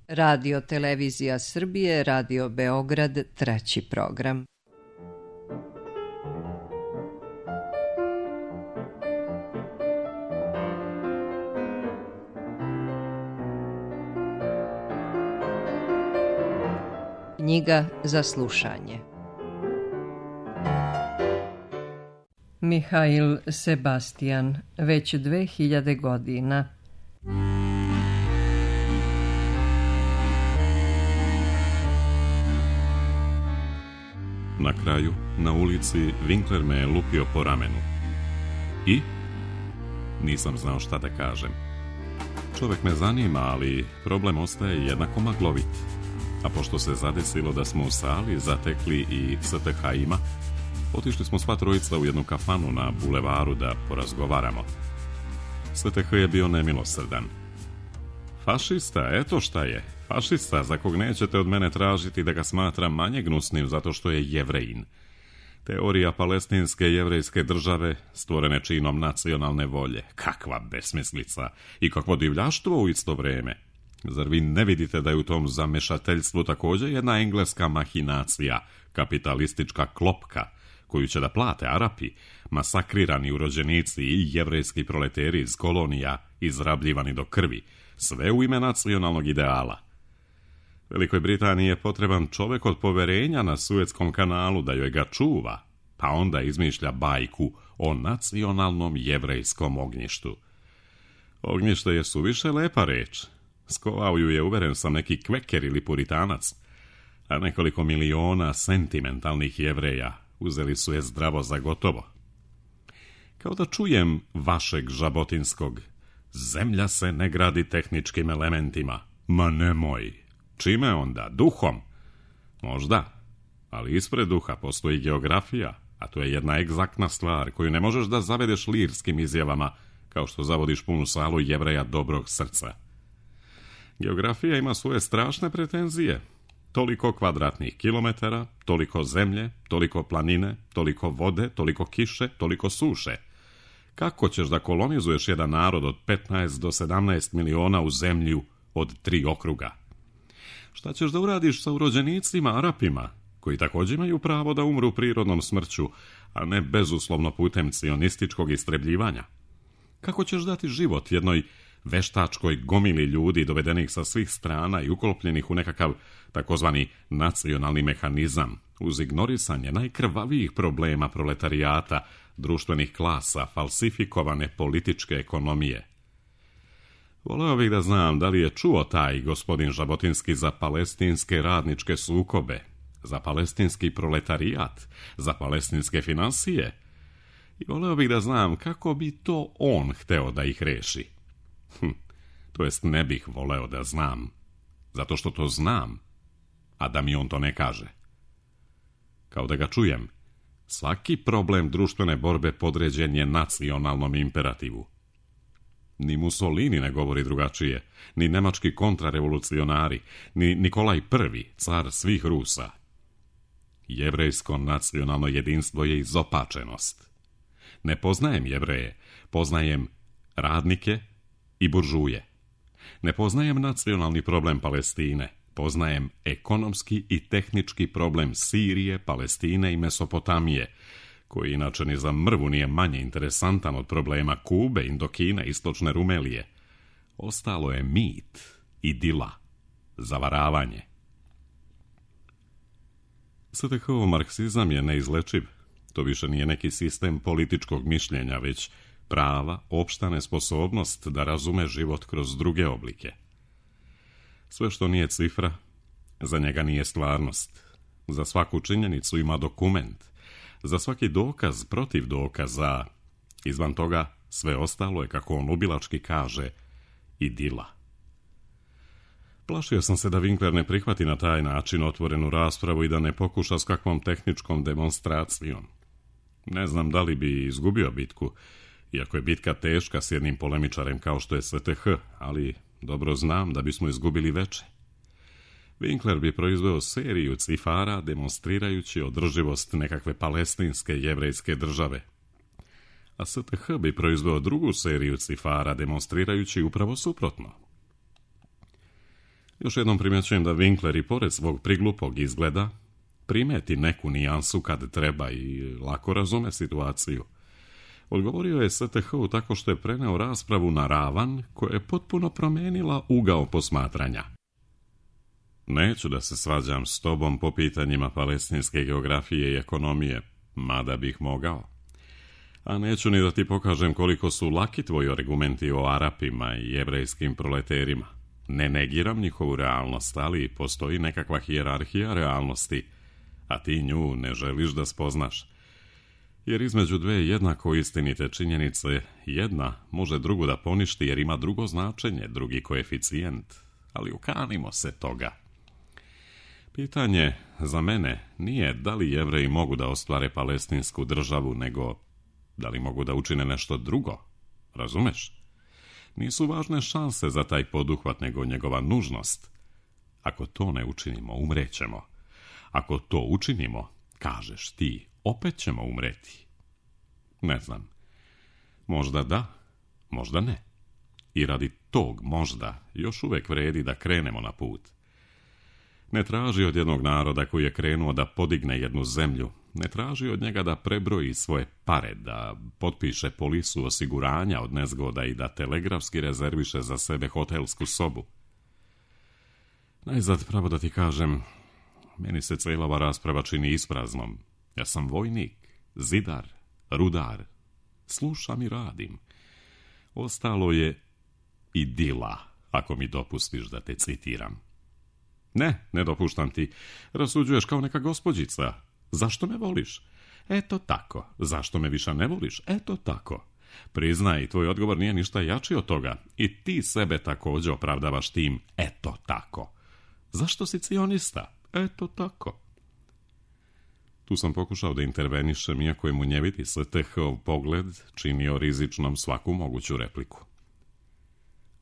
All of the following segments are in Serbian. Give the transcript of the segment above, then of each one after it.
Radio Televizija Srbije, Radio Beograd, 3. program. Knjiga za slušanje. Mihail Sebastian, već 2000 godina. Na kraju, na ulici, Winkler me je lupio po ramenu. I? Nisam znao šta da kažem. Čovjek me zanima, ali problem ostaje jednako maglovit. A pošto se zadesilo da smo u sali zatekli i STH-ima, otišli smo sva trojica u jednu kafanu na bulevaru da porazgovaramo. STH je bio nemilosrdan. Fašista, eto šta je. Fašista za kog nećete od mene tražiti da ga smatram manje gnusnim zato što je Jevrejin. Teorija palestinske jevrejske države stvorene činom nacionalne volje. Kakva besmislica i kakvo divljaštvo u isto vrijeme. Zar vi ne vidite da je u tom zamešateljstvu također jedna engleska mahinacija, kapitalistička klopka, koju će da plate Arapi, masakrirani urođenici i jevrejski proleteri iz kolonija, izrabljivani do krvi, sve u ime nacionalnog ideala. Velikoj Britaniji je potreban čovjek od poverenja na Suetskom kanalu da joj ga čuva, pa onda izmišlja bajku o nacionalnom jevrejskom ognjištu. Ognjište je suviše lepa reč. Skovao ju je, uveren sam, neki kveker ili puritanac, a nekoliko miliona sentimentalnih Jevreja uzeli su je zdravo za gotovo. Kao da čujem vašeg Žabotinskog: zemlja se ne gradi tehničkim elementima. Ma nemoj. Čime onda? Duhom? Možda, ali ispred duha postoji geografija, a to je jedna egzaktna stvar koju ne možeš da zavedeš lirskim izjavama, kao što zavodiš punu salu Jevreja dobrog srca. Geografija ima svoje strašne pretenzije. Toliko kvadratnih kilometara, toliko zemlje, toliko planine, toliko vode, toliko kiše, toliko suše. Kako ćeš da kolonizuješ jedan narod od 15 do 17 miliona u zemlju od 3 okruga? Šta ćeš da uradiš sa urođenicima Arapima, koji također imaju pravo da umru prirodnom smrću, a ne bezuslovno putem cionističkog istrebljivanja? Kako ćeš dati život jednoj veštačkoj gomili ljudi dovedenih sa svih strana i uklopljenih u nekakav takozvani nacionalni mehanizam, uz ignorisanje najkrvavijih problema proletarijata, društvenih klasa, falsifikovane političke ekonomije? Voleo bih da znam da li je čuo taj gospodin Žabotinski za palestinske radničke sukobe, za palestinski proletarijat, za palestinske finansije. I voleo bih da znam kako bi to on hteo da ih reši. To jest ne bih voleo da znam, zato što to znam, a da mi on to ne kaže. Kao da ga čujem, svaki problem društvene borbe podređen je nacionalnom imperativu. Ni Mussolini ne govori drugačije, ni nemački kontrarevolucionari, ni Nikolaj I, car svih Rusa. Jevrejsko nacionalno jedinstvo je izopačenost. Ne poznajem Jevreje, poznajem radnike i buržuje. Ne poznajem nacionalni problem Palestine, poznajem ekonomski i tehnički problem Sirije, Palestine i Mesopotamije, koji inače ni za mrvu nije manje interesantan od problema Kube, Indokine, Istočne Rumelije. Ostalo je mit, idila, zavaravanje. STH-ov marksizam je neizlečiv. To više nije neki sistem političkog mišljenja, već prava, opšta nesposobnost da razume život kroz druge oblike. Sve što nije cifra, za njega nije stvarnost. Za svaku činjenicu ima dokument. Za svaki dokaz protiv dokaza. Izvan toga sve ostalo je, kako on ubilački kaže, idila. Plašio sam se da Winkler ne prihvati na taj način otvorenu raspravu i da ne pokuša s kakvom tehničkom demonstracijom. Ne znam da li bi izgubio bitku, iako je bitka teška s jednim polemičarem kao što je STH, ali dobro znam da bismo izgubili veče. Winkler bi proizveo seriju cifara demonstrirajući održivost nekakve palestinske jevrejske države. A STH bi proizveo drugu seriju cifara demonstrirajući upravo suprotno. Još jednom primjećujem da Winkler i pored svog priglupog izgleda primeti neku nijansu kad treba i lako razume situaciju. Odgovorio je STH-u tako što je preneo raspravu na ravan koja je potpuno promijenila ugao posmatranja. Neću da se svađam s tobom po pitanjima palestinske geografije i ekonomije, mada bih mogao. A neću ni da ti pokažem koliko su laki tvoji argumenti o Arapima i jevrejskim proleterima. Ne negiram njihovu realnost, ali postoji nekakva hijerarhija realnosti, a ti nju ne želiš da spoznaš. Jer između dve jednako istinite činjenice, jedna može drugu da poništi jer ima drugo značenje, drugi koeficijent, ali ukanimo se toga. Pitanje za mene nije da li Jevreji mogu da ostvare palestinsku državu, nego da li mogu da učine nešto drugo, razumeš? Nisu važne šanse za taj poduhvat, nego njegova nužnost. Ako to ne učinimo, umrećemo. Ako to učinimo, kažeš ti, opet ćemo umreti. Ne znam. Možda da, možda ne. I radi tog možda još uvijek vredi da krenemo na put. Ne traži od jednog naroda koji je krenuo da podigne jednu zemlju, ne traži od njega da prebroji svoje pare, da potpiše polisu osiguranja od nezgoda i da telegrafski rezerviše za sebe hotelsku sobu. Najzad, pravo da ti kažem, meni se cijela ova rasprava čini ispraznom. Ja sam vojnik, zidar, rudar. Slušam i radim. Ostalo je idila, ako mi dopustiš da te citiram. Ne dopuštam ti. Rasuđuješ kao neka gospođica. Zašto me voliš? Eto tako. Zašto me više ne voliš? Eto tako. Priznaj, tvoj odgovor nije ništa jači od toga. I ti sebe također opravdavaš tim eto tako. Zašto si cionista? Eto tako. Tu sam pokušao da intervenišem, iako je munjeviti STH-ov pogled činio rizičnom svaku moguću repliku.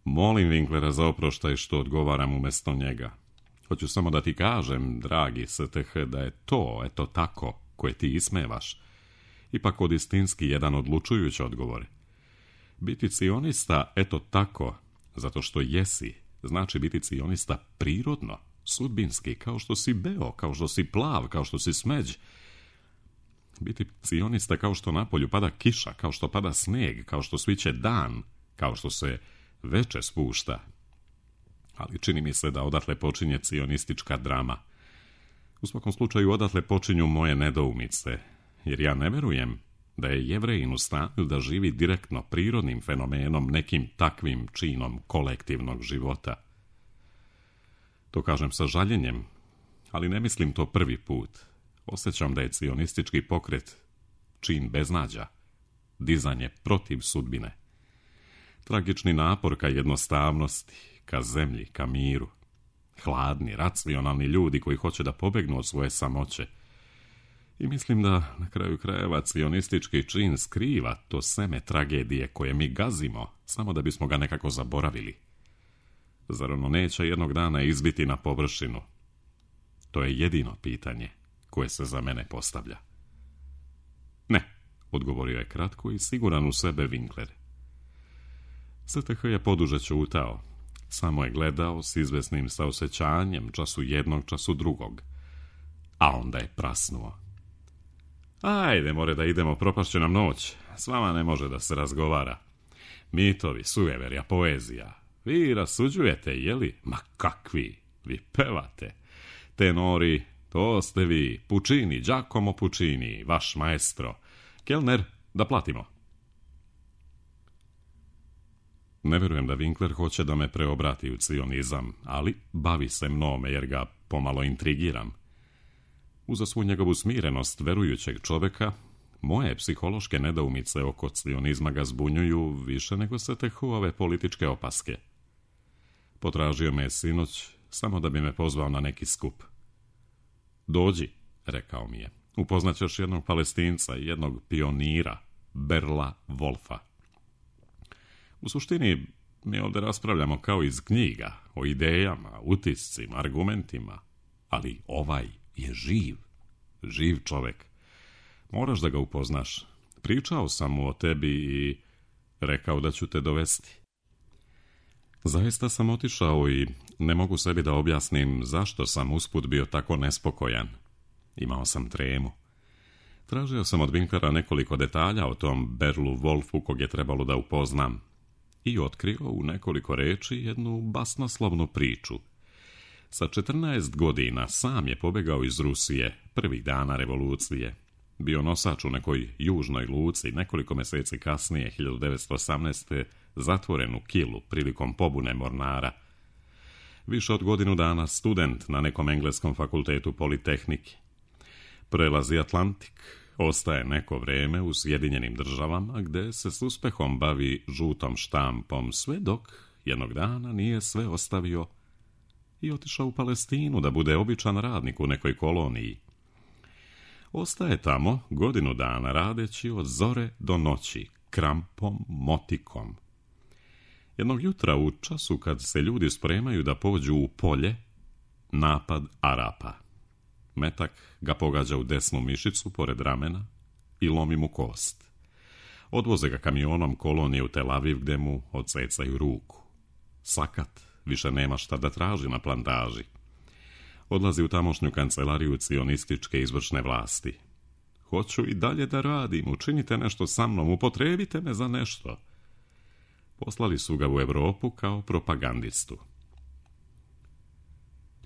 Molim Winklera za oproštaj što odgovaram umjesto njega. Hoću samo da ti kažem, dragi STH, da je to, eto tako, koje ti ismevaš, ipak od istinski jedan odlučujući odgovor. Biti cionista, eto tako, zato što jesi, znači biti cionista prirodno, sudbinski, kao što si beo, kao što si plav, kao što si smeđ. Biti cionista kao što napolju pada kiša, kao što pada sneg, kao što sviće dan, kao što se veče spušta. Ali čini mi se da odatle počinje cionistička drama. U svakom slučaju odatle počinju moje nedoumice, jer ja ne verujem da je Jevrejin u stanju da živi direktno prirodnim fenomenom, nekim takvim činom kolektivnog života. To kažem sa žaljenjem, ali ne mislim to prvi put. Osjećam da je cionistički pokret čin beznađa, dizanje protiv sudbine. Tragični napor ka jednostavnosti, ka zemlji, ka miru. Hladni, racionalni ljudi koji hoće da pobegnu od svoje samoće. I mislim da na kraju krajeva cionistički čin skriva to seme tragedije koje mi gazimo, samo da bismo ga nekako zaboravili. Zar ono neće jednog dana izbiti na površinu? To je jedino pitanje koje se za mene postavlja. Ne, odgovorio je kratko i siguran u sebe Winkler. STH je poduže ćutao. Samo je gledao s izvesnim saosećanjem, času jednog, času drugog. A onda je prasnuo. Ajde, more da idemo, propašće nam noć. S vama ne može da se razgovara. Mitovi, sujeverja, poezija. Vi rasuđujete, jeli? Ma kakvi? Vi pevate. Tenori, to ste vi. Puccini, Giacomo Puccini, vaš maestro. Kelner, da platimo. Ne vjerujem da Winkler hoće da me preobrati u cionizam, ali bavi se mnome jer ga pomalo intrigiram. Uza svu njegovu smirenost verujućeg čovjeka, moje psihološke nedoumice oko cionizma ga zbunjuju više nego STH-ove političke opaske. Potražio me je sinoć samo da bi me pozvao na neki skup. Dođi, rekao mi je, upoznaćeš jednog Palestinca i jednog pionira, Berla Wolfa. U suštini, mi ovdje raspravljamo kao iz knjiga, o idejama, utiscima, argumentima, ali ovaj je živ čovjek. Moraš da ga upoznaš. Pričao sam mu o tebi i rekao da ću te dovesti. Zaista sam otišao i ne mogu sebi da objasnim zašto sam usput bio tako nespokojan. Imao sam tremu. Tražio sam od Winklera nekoliko detalja o tom Berlu Wolfu kog je trebalo da upoznam i otkrio u nekoliko reči jednu basnoslovnu priču. Sa 14 godina sam je pobegao iz Rusije prvih dana revolucije. Bio nosač u nekoj južnoj luci, nekoliko mjeseci kasnije, 1918. zatvoren u Kilu prilikom pobune mornara. Više od godinu dana student na nekom engleskom fakultetu Politehnike. Prelazi Atlantik, ostaje neko vrijeme u Sjedinjenim Državama gdje se s uspehom bavi žutom štampom, sve dok jednog dana nije sve ostavio i otišao u Palestinu da bude običan radnik u nekoj koloniji. Ostaje tamo godinu dana radeći od zore do noći, krampom, motikom. Jednog jutra u času kad se ljudi spremaju da pođu u polje, napad Arapa. Metak ga pogađa u desnu mišicu pored ramena i lomi mu kost. Odvoze ga kamionom kolonije u Tel Aviv gdje mu odsecaju ruku. Sakat, više nema šta da traži na plantaži. Odlazi u tamošnju kancelariju cionističke izvršne vlasti. Hoću i dalje da radim, učinite nešto sa mnom, upotrebite me za nešto. Poslali su ga u Europu kao propagandistu.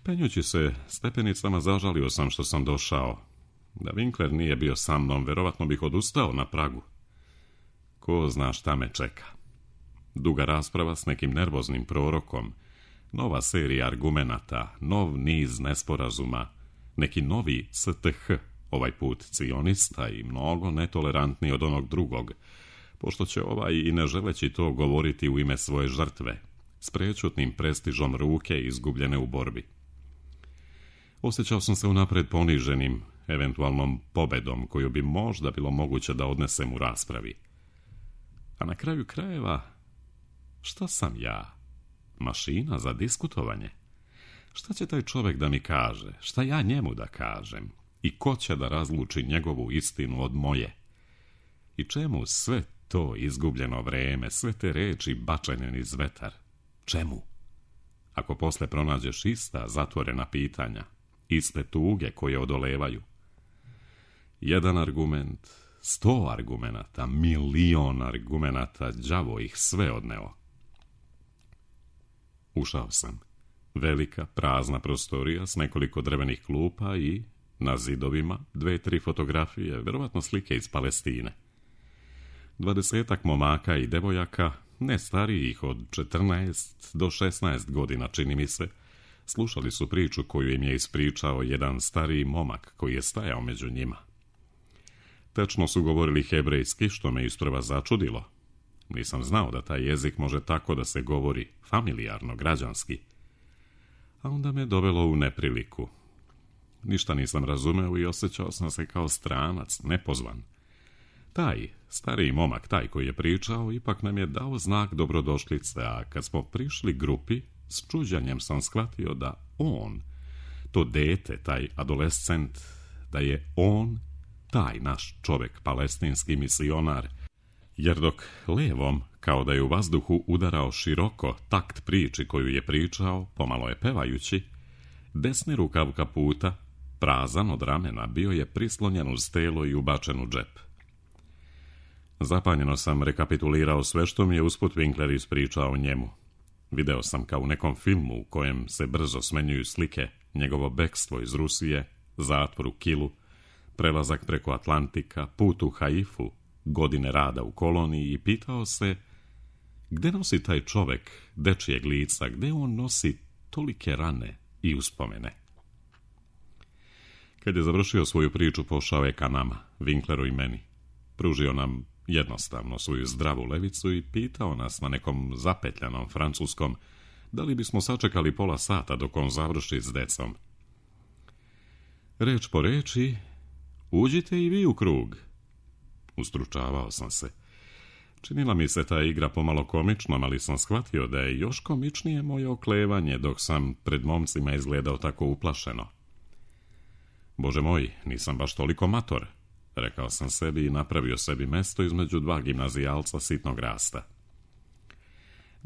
Penjući se stepenicama zažalio sam što sam došao. Da Winkler nije bio sa mnom, verovatno bih odustao na pragu. Ko zna šta me čeka. Duga rasprava s nekim nervoznim prorokom, nova serija argumenata, nov niz nesporazuma, neki novi STH, ovaj put cionista i mnogo netolerantniji od onog drugog, pošto će ovaj i ne želeći to govoriti u ime svoje žrtve, s prečutnim prestižom ruke izgubljene u borbi. Osjećao sam se unapred poniženim, eventualnom pobedom koju bi možda bilo moguće da odnesem u raspravi. A na kraju krajeva, šta sam ja? Mašina za diskutovanje? Šta će taj čovjek da mi kaže? Šta ja njemu da kažem? I ko će da razluči njegovu istinu od moje? I čemu sve to izgubljeno vreme, sve te reči bačene niz vetar? Čemu? Ako posle pronađeš ista zatvorena pitanja, iste tuge koje odolevaju. Jedan argument, 100 argumenata, milion argumenata, đavo ih sve odneo. Ušao sam. Velika, prazna prostorija s nekoliko drvenih klupa i na zidovima 2-3 fotografije, verovatno slike iz Palestine. 20 momaka i devojaka, ne starijih od 14 do 16 godina, čini mi se, slušali su priču koju im je ispričao jedan stariji momak koji je stajao među njima. Tečno su govorili hebrejski, što me isprva začudilo. Nisam znao da taj jezik može tako da se govori, familijarno, građanski. A onda me dovelo u nepriliku. Ništa nisam razumeo i osjećao sam se kao stranac, nepozvan. Taj stariji momak, taj koji je pričao, ipak nam je dao znak dobrodošlice, a kad smo prišli grupi, s čuđanjem sam shvatio da on, to dete, taj adolescent, da je on, taj naš čovjek, palestinski misionar, jer dok levom, kao da je u vazduhu udarao široko takt priči koju je pričao, pomalo je pevajući, desni rukav kaputa, prazan od ramena, bio je prislonjen uz telo i ubačen u džep. Zapanjeno sam rekapitulirao sve što mi je usput Winkler ispričao o njemu. Video sam kao u nekom filmu u kojem se brzo smenjuju slike, njegovo bekstvo iz Rusije, zatvor u Kilu, prelazak preko Atlantika, put u Haifu, godine rada u koloniji i pitao se gde nosi taj čovek dečijeg lica, gde on nosi tolike rane i uspomene. Kad je završio svoju priču, pošao je ka nama, Winkleru i meni. Pružio nam jednostavno svoju zdravu levicu i pitao nas na nekom zapetljanom francuskom da li bismo sačekali pola sata dok on završi s decom. Reč po reči, uđite i vi u krug. Ustručavao sam se. Činila mi se ta igra pomalo komičnom, ali sam shvatio da je još komičnije moje oklevanje dok sam pred momcima izgledao tako uplašeno. Bože moj, nisam baš toliko mator, rekao sam sebi i napravio sebi mesto između dva gimnazijalca sitnog rasta.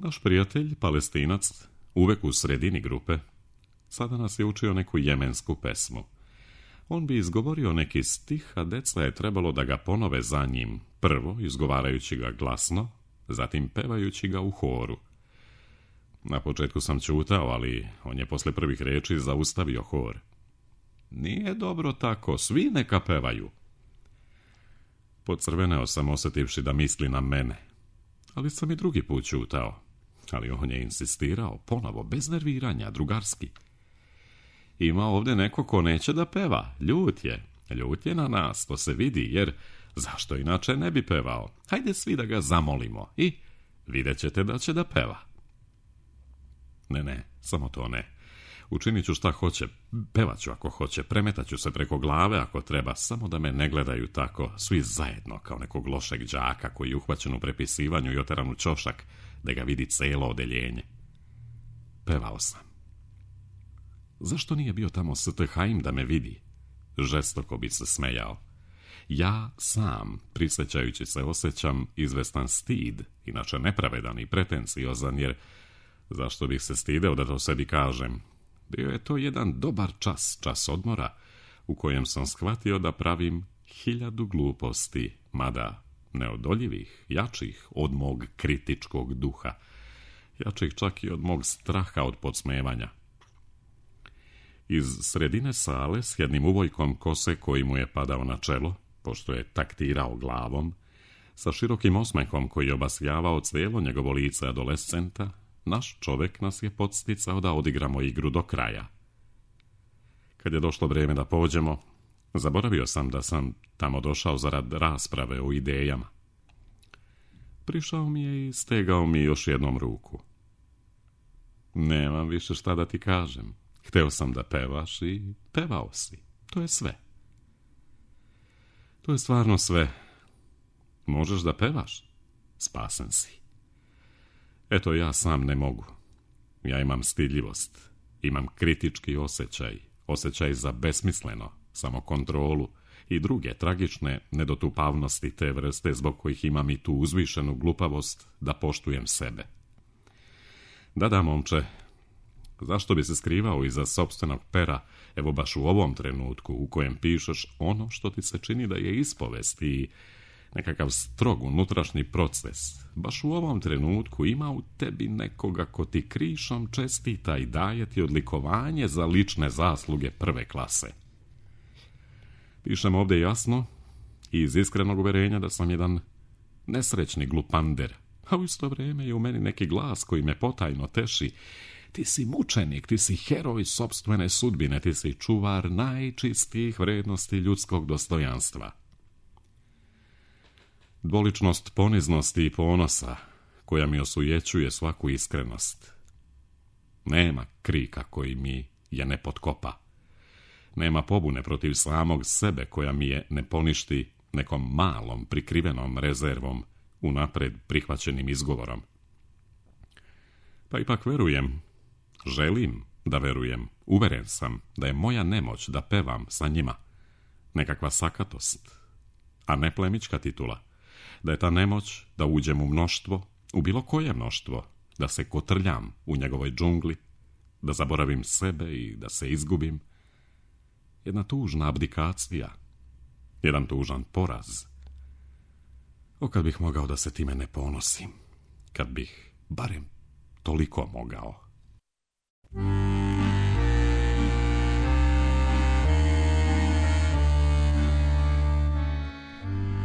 Naš prijatelj, Palestinac, uvek u sredini grupe, sada nas je učio neku jemensku pesmu. On bi izgovorio neki stih, a deca je trebalo da ga ponove za njim, prvo izgovarajući ga glasno, zatim pevajući ga u horu. Na početku sam ćutao, ali on je posle prvih reči zaustavio hor. Nije dobro tako, svi neka pevaju. Pocrveneo sam osjetivši da misli na mene, ali sam i drugi put ćutao. Ali on je insistirao, ponovo, bez nerviranja, drugarski. Ima ovdje neko ko neće da peva, ljut je na nas, to se vidi, jer zašto inače ne bi pevao? Hajde svi da ga zamolimo i vidjet ćete da će da peva. Ne, samo to ne. Učinit ću šta hoće, pevat ću ako hoće, premetat ću se preko glave ako treba, samo da me ne gledaju tako, svi zajedno, kao nekog lošeg đaka koji je uhvaćen u prepisivanju i oteran u ćošak, da ga vidi celo odeljenje. Pevao sam. Zašto nije bio tamo St. Haim da me vidi? Žestoko bi se smejao. Ja sam, prisjećajući se, osjećam izvestan stid, inače nepravedan i pretenciozan, jer zašto bih se stideo da to sebi kažem? Bio je to jedan dobar čas odmora, u kojem sam shvatio da pravim 1000 gluposti, mada neodoljivih, jačih od mog kritičkog duha, jačih čak i od mog straha od podsmevanja. Iz sredine sale s jednim uvojkom kose koji mu je padao na čelo, pošto je taktirao glavom, sa širokim osmehom koji je obasjavao cijelo njegovo lice adolescenta, naš čovjek nas je podsticao da odigramo igru do kraja. Kad je došlo vrijeme da pođemo, zaboravio sam da sam tamo došao zarad rasprave o idejama. Prišao mi je i stegao mi još jednom ruku. Nemam više šta da ti kažem. Hteo sam da pevaš i pevao si. To je sve. To je stvarno sve. Možeš da pevaš? Spasen si. Eto, ja sam ne mogu. Ja imam stidljivost. Imam kritički osjećaj za besmisleno, samokontrolu i druge tragične nedotupavnosti te vrste zbog kojih imam i tu uzvišenu glupavost da poštujem sebe. Da, momče, zašto bi se skrivao iza sopstvenog pera, evo baš u ovom trenutku u kojem pišeš ono što ti se čini da je ispovest i nekakav strog unutrašnji proces. Baš u ovom trenutku ima u tebi nekoga ko ti krišom čestita i daje ti odlikovanje za lične zasluge prve klase. Pišem ovdje jasno i iz iskrenog uverenja da sam jedan nesrećni glupander, a u isto vrijeme je u meni neki glas koji me potajno teši. Ti si mučenik, ti si heroj sopstvene sudbine, ti si čuvar najčistijih vrednosti ljudskog dostojanstva. Dvoličnost poniznosti i ponosa, koja mi osujećuje svaku iskrenost. Nema krika koji mi je ne potkopa. Nema pobune protiv samog sebe koja mi je ne poništi nekom malom prikrivenom rezervom, unapred prihvaćenim izgovorom. Pa ipak verujem, želim da verujem, uveren sam da je moja nemoć da pevam sa njima nekakva sakatost, a ne plemićka titula. Da je ta nemoć da uđem u mnoštvo, u bilo koje mnoštvo, da se kotrljam u njegovoj džungli, da zaboravim sebe i da se izgubim. Jedna tužna abdikacija, jedan tužan poraz. O, kad bih mogao da se time ne ponosim, kad bih barem toliko mogao.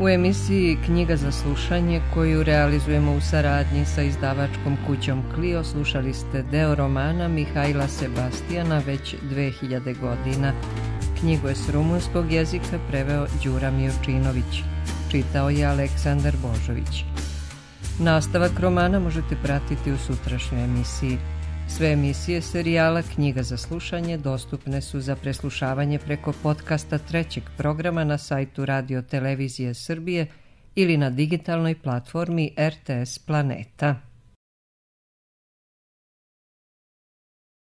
U emisiji Knjiga za slušanje, koju realizujemo u saradnji sa izdavačkom kućom Clio, slušali ste deo romana Mihajla Sebastijana već 2000 godina. Knjigu je s rumunskog jezika preveo Đura Mijovčinović. Čitao je Aleksandar Božović. Nastavak romana možete pratiti u sutrašnjoj emisiji. Sve emisije serijala Knjiga za slušanje dostupne su za preslušavanje preko podcasta trećeg programa na sajtu Radio Televizije Srbije ili na digitalnoj platformi RTS Planeta.